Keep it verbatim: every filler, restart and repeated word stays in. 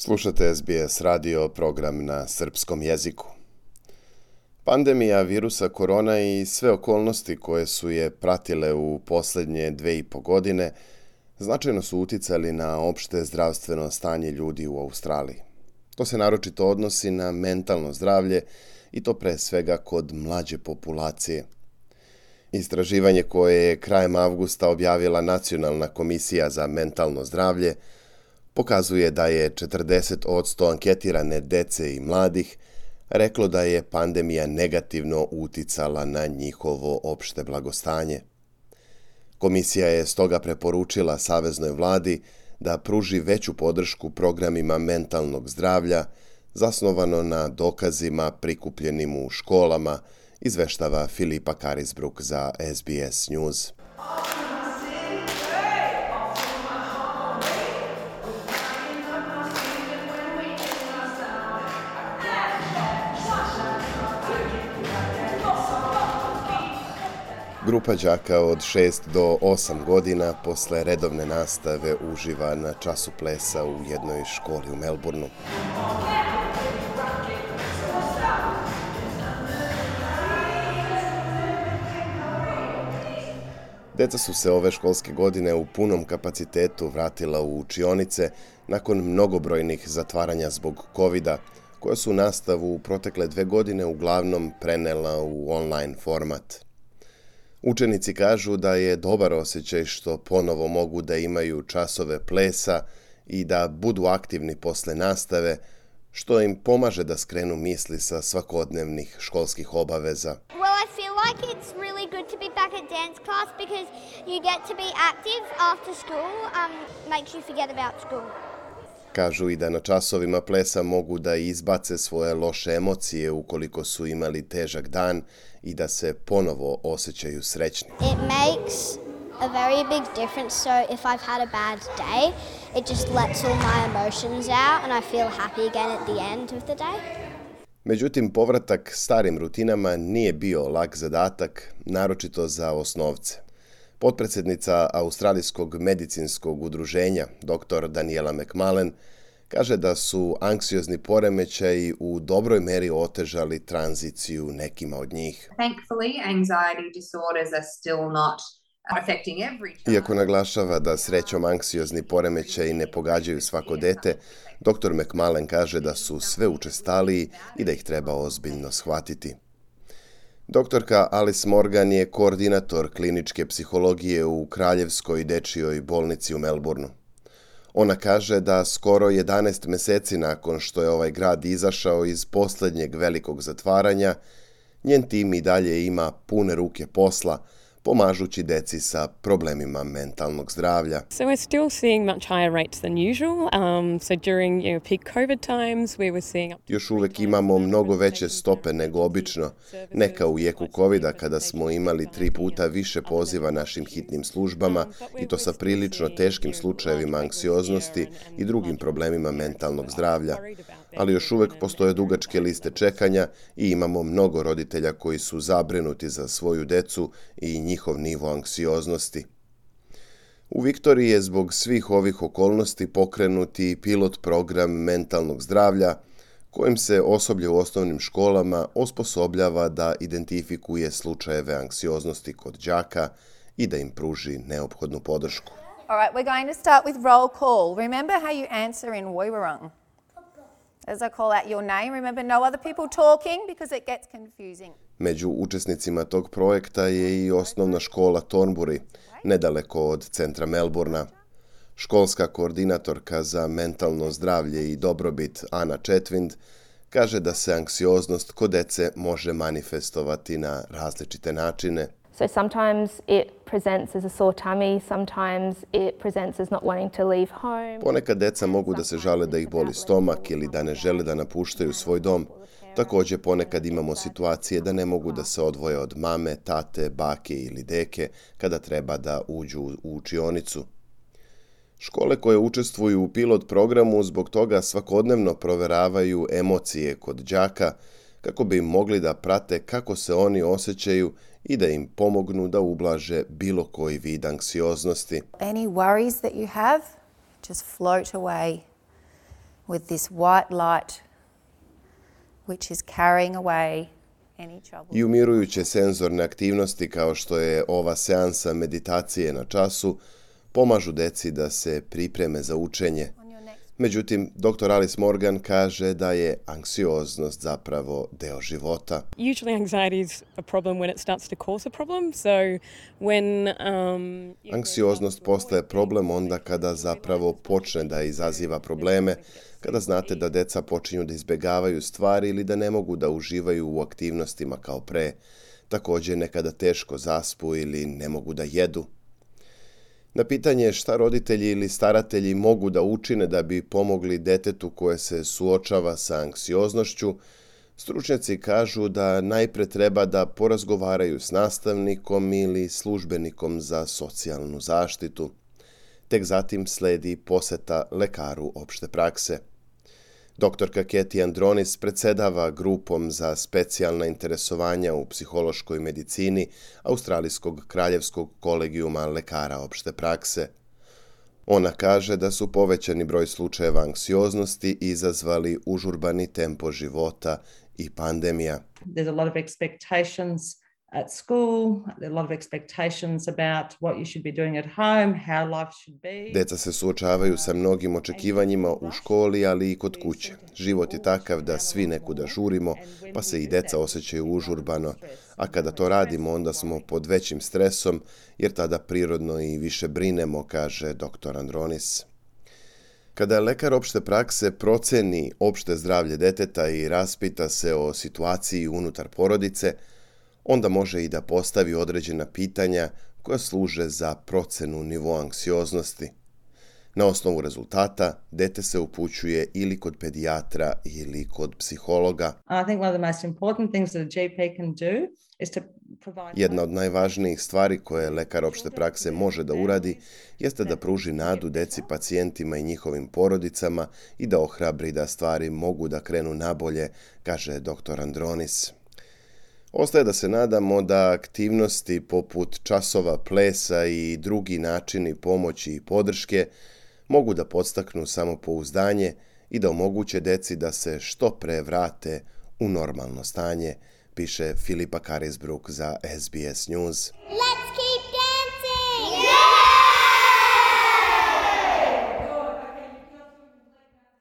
Slušate S B S radio, program na srpskom jeziku. Pandemija virusa korona i sve okolnosti koje su je pratile u posljednje dve i po godine značajno su uticali na opšte zdravstveno stanje ljudi u Australiji. To se naročito odnosi na mentalno zdravlje i to pre svega kod mlađe populacije. Istraživanje koje je krajem avgusta objavila Nacionalna komisija za mentalno zdravlje pokazuje da je četrdeset posto anketirane dece i mladih reklo da je pandemija negativno uticala na njihovo opšte blagostanje. Komisija je stoga preporučila saveznoj vladi da pruži veću podršku programima mentalnog zdravlja zasnovano na dokazima prikupljenim u školama, izveštava Filipa Carisbrook za S B S News. Grupa đaka od šest do osam godina posle redovne nastave uživa na času plesa u jednoj školi u Melbourneu. Deca su se ove školske godine u punom kapacitetu vratila u učionice nakon mnogobrojnih zatvaranja zbog kovida, koja su nastavu u protekle dve godine uglavnom prenela u online format. Učenici kažu da je dobar osjećaj što ponovo mogu da imaju časove plesa i da budu aktivni posle nastave, što im pomaže da skrenu misli sa svakodnevnih školskih obaveza. Well, I feel like it's really good to be back at dance class because you get to be active after school, um, makes you forget about school. Kažu i da na časovima plesa mogu da izbace svoje loše emocije ukoliko su imali težak dan i da se ponovo osjećaju srećni. It makes a very big difference, so if I've had a bad day, it just lets all my emotions out and I feel happy again at the end of the day. Međutim, povratak starim rutinama nije bio lak zadatak, naročito za osnovce. Potpredsjednica Australijskog medicinskog udruženja, doktor Daniela McMullen, kaže da su anksiozni poremećaji u dobroj meri otežali tranziciju nekima od njih. Thankfully, anxiety disorders are still not affecting every child. Iako naglašava da srećom anksiozni poremećaji ne pogađaju svako dete, doktor McMullen kaže da su sve učestaliji i da ih treba ozbiljno shvatiti. Doktorka Alice Morgan je koordinator kliničke psihologije u Kraljevskoj dečijoj bolnici u Melbourneu. Ona kaže da skoro jedanaest meseci nakon što je ovaj grad izašao iz posljednjeg velikog zatvaranja, njen tim i dalje ima pune ruke posla, pomažući deci sa problemima mentalnog zdravlja. So we're still seeing much higher rates than usual. Um, so during you know, peak COVID times we were seeing up to Još uvek imamo mnogo veće stope nego obično, neka u jeku kovida kada smo imali tri puta više poziva našim hitnim službama i to sa prilično teškim slučajevima anksioznosti i drugim problemima mentalnog zdravlja. Ali još uvek postoje dugačke liste čekanja i imamo mnogo roditelja koji su zabrinuti za svoju decu i njihov nivo anksioznosti. U Viktoriji je zbog svih ovih okolnosti pokrenuti pilot program mentalnog zdravlja, kojim se osoblje u osnovnim školama osposobljava da identifikuje slučajeve anksioznosti kod đaka i da im pruži neophodnu podršku. All right, we're going to start with roll call. Remember how you answer in Woiwurrung. As I call out your name, remember no other people talking because it gets confusing. Među učesnicima tog projekta je i osnovna škola Thornbury, nedaleko od centra Melbournea. Školska koordinatorka za mentalno zdravlje i dobrobit Ana Chetwind kaže da se anksioznost kod dece može manifestovati na različite načine. So sometimes it presents as a sore tummy, sometimes it presents as not wanting to leave home. Ponekad deca mogu da se žale da ih boli stomak ili da ne žele da napuštaju svoj dom. Također ponekad imamo situacije da ne mogu da se odvoje od mame, tate, bake ili deke kada treba da uđu u učionicu. Škole koje učestvuju u pilot programu zbog toga svakodnevno proveravaju emocije kod đaka kako bi mogli da prate kako se oni osjećaju i da im pomognu da ublaže bilo koji vid anksioznosti. Any worries that you have, just float away. with this white light which is carrying away any trouble. I umirujuće senzorne aktivnosti kao što je ova seansa meditacije na času pomažu deci da se pripreme za učenje. Međutim, doktor Alice Morgan kaže da je anksioznost zapravo deo života. Usually anxiety is a problem when it starts to cause a problem. So when um Anksioznost postaje problem onda kada zapravo počne da izaziva probleme, kada znate da deca počinju da izbegavaju stvari ili da ne mogu da uživaju u aktivnostima kao pre. Također nekada teško zaspu ili ne mogu da jedu. Na pitanje šta roditelji ili staratelji mogu da učine da bi pomogli detetu koje se suočava sa anksioznošću, stručnjaci kažu da najpre treba da porazgovaraju s nastavnikom ili službenikom za socijalnu zaštitu. Tek zatim sledi poseta lekaru opšte prakse. Doktorka Katie Andronis predsedava grupom za specijalna interesovanja u psihološkoj medicini Australijskog kraljevskog kolegijuma lekara opšte prakse. Ona kaže da su povećani broj slučajeva anksioznosti izazvali užurbani tempo života i pandemija. There's a lot of expectations at school, there are a lot of expectations about what you should be doing at home, how life should be. Deca se suočavaju sa mnogim očekivanjima u školi, ali i kod kuće. Život je takav da svi nekuda žurimo, pa se i deca osjećaju užurbano, a kada to radimo onda smo pod većim stresom, jer tada prirodno i više brinemo, kaže doktor Andronis. Kada lekar opšte prakse proceni opšte zdravlje deteta i raspita se o situaciji unutar porodice, onda može i da postavi određena pitanja koja služe za procenu nivoa anksioznosti. Na osnovu rezultata, dete se upućuje ili kod pedijatra ili kod psihologa. Jedna od najvažnijih stvari koje lekar opšte prakse može da uradi jeste da pruži nadu deci, pacijentima i njihovim porodicama i da ohrabri da stvari mogu da krenu nabolje, kaže doktor Andronis. Ostaje da se nadamo da aktivnosti poput časova plesa i drugi načini pomoći i podrške mogu da podstaknu samopouzdanje i da omoguće deci da se što pre vrate u normalno stanje, piše Filipa Carisbrook za S B S News.